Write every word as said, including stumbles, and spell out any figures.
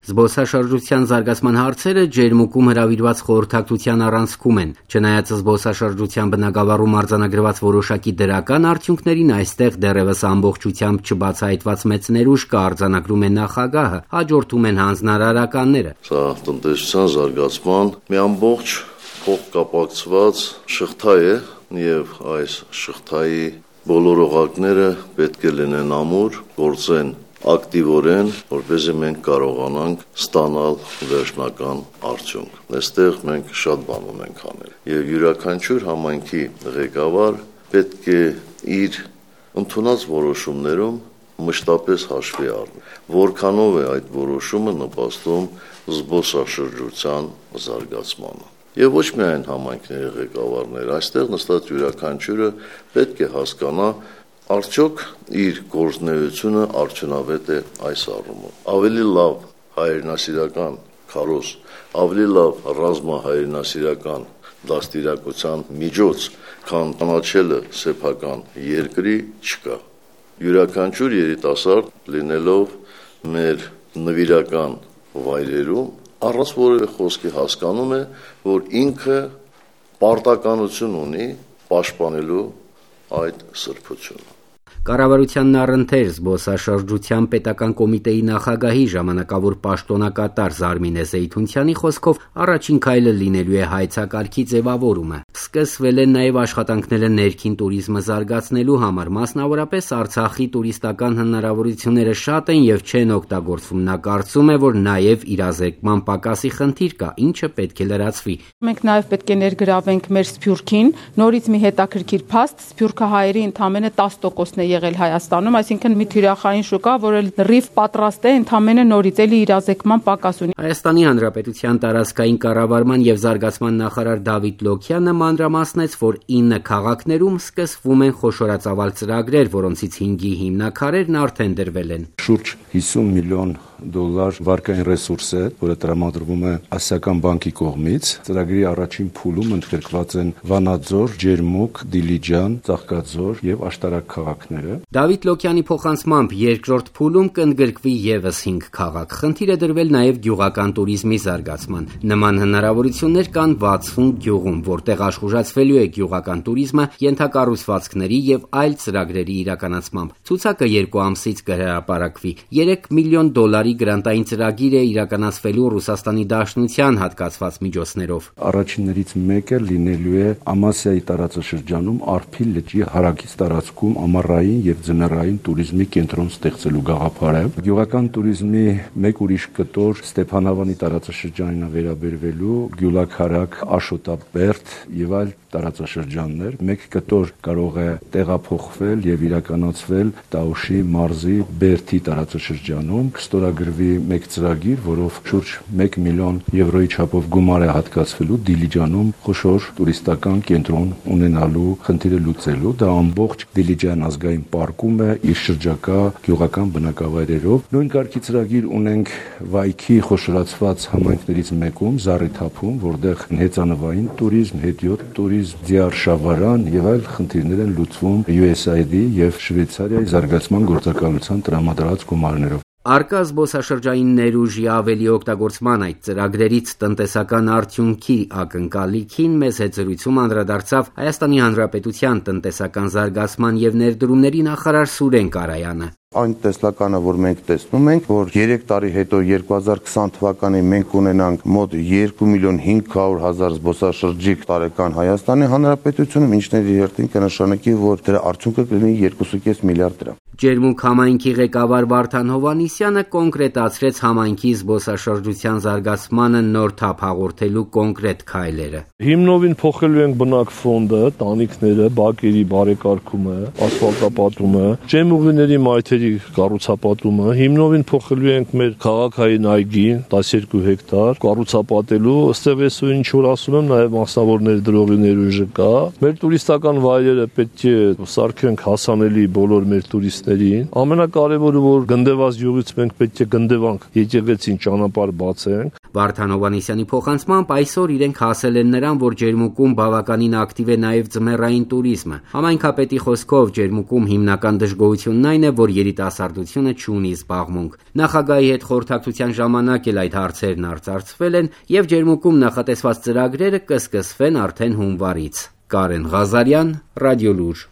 Զբոսաշրջության զարգացման հարցերը ջերմուկում հրավիրված խորհրդակցության առանցքում են։ Չնայած զբոսաշրջության բնագավառում արձանագրված որոշակի դրական արդյունքներին, այստեղ դեռևս ամբողջությամբ չբացահայտված մեծ ներուժ կա, արձանագրում է նախագահը, հաջորդում են հանձնարարականները։ Սա տնտեսության զարգացման մի ամբողջ փոխկապակցված շղթա է, եւ այս շղթայի բոլոր օղակները պետք է լինեն ամուր, գործեն ակտիվորեն, որպեսզի մենք կարողանանք ստանալ վերջնական արդյունք։ Այստեղ մենք շատ բան ունենք անել։ Եվ յուրաքանչյուր համայնքի ղեկավար պետք է իր ընդունած որոշումներում մշտապես հաշվի առնել, որքանով է այդ որոշումը նպաստում զբոսաշրջության զարգացմանը։ Եվ ոչ միայն համայնքների ղեկավարները, այստեղ նստած յուրաքանչյուրը պետք է հասկանա, արդյոք իր գործունեությունը արդյունավետ է այս առումով։ Ավելի լավ հայրենասիրական քարոզ, ավելի լավ ռազմահայրենասիրական դաստիարակության միջոց, քան կանաչելը սեփական երկրի չկա։ Յուրաքանչյուր երիտասարդ լինելով մեր նվիրական վայրերում առանց որևէ խոսքի հասկանում է, որ ինքը պարտականություն ունի պաշտպանելու այդ սրբությունը։ Կառավարությանն առընթեր զբոսաշրջության պետական կոմիտեի նախագահի ժամանակավոր պաշտոնակատար Զարմինե Զեյթունցյանի խոսքով առաջին քայլը լինելու է հայցակարգի ձևավորումը։ Սկսվել են նաև աշխատանքները ներքին տուրիզմը զարգացնելու համար, մասնավորապես Արցախի տուրիստական հնարավորությունները շատ են եւ չեն օգտագործվում։ Նա կարծում է, որ նաև իրազեկման պակասի խնդիր կա, ինչը պետք է լրացվի։ Մենք նաև պետք է ներգրավենք մեր Սփյուռքին, նորից մի հետաքրքիր փաստ, սփյուռքահայերի ընդամենը տասը տոկոսն է եղել Հայաստանում, այսինքն մի թիրախային շուկա, որը լրիվ պատրաստ է ընդամենը նորից էլի իրազեկման պակաս ունի։ Հայաստանի Հանրապետության տարածքային կառավարման եւ զարգացման նախարար Դավիթ Լոքյանը մանրամասնեց, որ ինը քաղաքներում սկսվում են խոշորածավալ ծրագրեր, որոնցից հինգի հիմնաքարերն արդեն դրվել են։ Շուրջ հիսուն միլիոն դոլար վարկային ռեսուրս է, որը տրամադրվում է Ասիական բանկի կողմից։ Ծրագրի առաջին փուլում ընդգրկված են Վանաձոր, Ջերմուկ, Դիլիջան, Ծաղկաձոր եւ Աշտարակ քաղաքները։ Դավիթ Լոքյանի փոխանցմամբ երկրորդ փուլում կընդգրկվի եւս հինգ քաղաք։ Խնդիր է դրվել նաեւ գյուղական տուրիզմի զարգացման։ Նման հնարավորություններ կան վաթսուն գյուղում, որտեղ աշխուժացվելու է գյուղական տուրիզմը ենթակառուցվածքների եւ այլ ծրագրերի իրականացմամբ։ Ցուցակը երկու ամսից կհրապարակվի։ երեք միլիոն դոլարի գրանտային ծրագիր է իրականացվելու Ռուսաստանի Դաշնության հատկացված միջոցներով։ Առաջիններից մեկը լինելու է Ամասիայի տարածաշրջանում Արփի լճի հարակից տարածքում ամառային եւ ձմեռային տուրիզմի կենտրոն ստեղծելու գաղափարը։ Գյուղական տուրիզմի մեկ ուրիշ կտոր Ստեփանավանի տարածաշրջանին է վերաբերվելու Գյուլաքարակ, Աշոտաբերդ եւ այլ տարածաշրջաններ։ Մեկ կտոր կարող է տեղափոխվել եւ իրականացվել Տաուշի մարզի Բերդի տարածաշրջանում, կստորագրվի մեկ ծրագիր, որով շուրջ մեկ միլիոն եվրոյի չափով գումար է հատկացվելու Դիլիջանում խոշոր տուրիստական կենտրոն ունենալու խնդիրը լուծելու։ Դա ամբողջ Դիլիջան ազգային պարկում է իր շրջակա գյուղական բնակավայրերով։ Նույն կարգի ծրագիր ունենք Վայքի խոշորացված համայնքներից մեկում, Զառիթափում, որտեղ հեծանվային տուրիզմ, հետիոտ տուրիզմ, ձիարշավարան եւ այլ խնդիրներ են լուծվում յու էս այ դի եւ Շվեյցարիայի զարգացման գործակալության տրամադրած գումարներով։ Արկա զբոսաշրջային ներուժի ավելի օգտագործման այդ ծրագրերից տնտեսական արդյունքի ակնկալիքին մեզ հետ զրույցում անդրադարձավ Հայաստանի Հանրապետության տնտեսական զարգացման եւ ներդրումների նախարար Սուրեն Կարայանը։ Այն տեսլականը, որ մենք տեսնում ենք, որ երեք տարի հետո երկու հազար քսան թվականին մենք ունենանք մոտ երկու միլիոն հինգ հարյուր հազար զբոսաշրջիկ տարեկան Հայաստանի Հանրապետությունում, ինչն իր հերթին կնշանակի, որ դրա արդյունքը կլինի երկու կես միլիարդ դրամ։ Ջերմուկ համայնքի ղեկավար Վարդան Հովհաննիսյանը կոնկրետացրեց համայնքի զբոսաշրջության զարգացմանը նոր թափ հաղորդելու կոնկրետ քայլերը։ Հիմնովին փոխելու ենք բնակ ֆոնդը, տանիքները, բակերի բարեկարգումը, ասֆալտապատումը, ջերմուղիների մայթերի կառուցապատումը, հիմնովին փոխելու ենք մեր քաղաքային այգին տասներկու հեկտար, կառուցապատելու, ըստեղ ես ինչ որ ասում եմ, նաև մասնավոր ներդրողի ներուժը կա։ Մեր տուրիստական վայրերը պետք է սարքենք հասանելի բոլոր մեր տուրիստներին։ Ամենակարևորը, որ գնդեված յուղից մենք պետք է գնդեվանք եկեղեցին ճանապարհ բացենք։ Վարդան Հովհաննիսյանի փոխանցմամբ այսօր իրենք հասել են նրան, որ Ջերմուկում բավականին ակտիվ է նաև ձմեռային տուրիզմը։ Համայնքապետի խոսքով Ջերմուկում հիմնական դժգոհությունն այն է, որ երիտասարդությունը չունի զբաղմունք։ Նախագահի հետ խորհրդակցության ժամանակ էլ այդ հարցերն արծարծվել են եւ Ջերմուկում նախատեսված ծրագրերը կսկսվեն արդեն հունվարից։ Կարեն Ղազարյան, Ռադիոլուր։